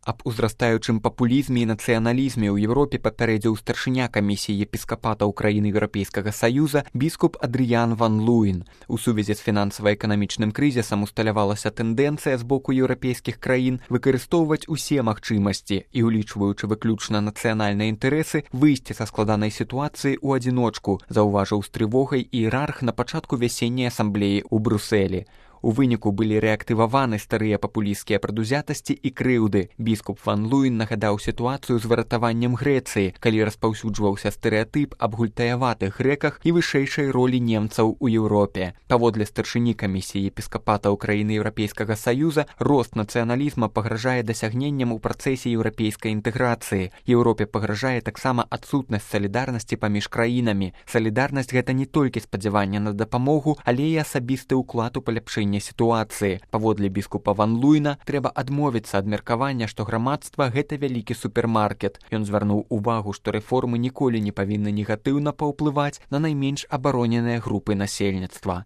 Аб узрастаючым папулізме і нацыяналізме ў Еўропе папярэдзіў старшыня камісіі епіскапатаў краін Еўрапейскага Саюза біскуп Адрыян ван Луін. У сувязі з фінансава-эканамічным крызісам усталявалася тэндэнцыя з боку еўрапейскіх краін выкарыстоўваць усе магчымасці і, улічваючы выключна нацыянальныя інтарэсы, выйсці са складанай сітуацыі ў адзіночку, заўважыў з трывогай іерарх на пачатку вясенняй асамблеі ў Брусэлі. У выніку былі рэактываваны старыя папулісцкія прадузятасці і крыўды. Біскуп ван Луін нагадаў сітуацыю з выратаваннем Грэцыі, калі распаўсюджваўся стэрэатып аб гультаяватых грэках і вышэйшай ролі немцаў у Еўропе. Паводле старшыні камісіі епіскапатаў краіны Еўрапейскага Саюза, рост нацыяналізма пагражае дасягненням у працэсе еўрапейскай інтэграцыі. Еўропе пагражае таксама адсутнасць салідарнасці паміж краінамі. Салідарнасць гэта не толькі спадзяванне на дапамогу, але і асабісты ўклад у паляпшэнне сітуацыі. Паводле біскупа ван Луіна трэба адмовіцца ад меркавання, што грамадства гэта вялікі супермаркет. Ён звярнуў увагу, што рэформы ніколі не павінны негатыўна паўплываць на найменш абароненыя групы насельніцтва.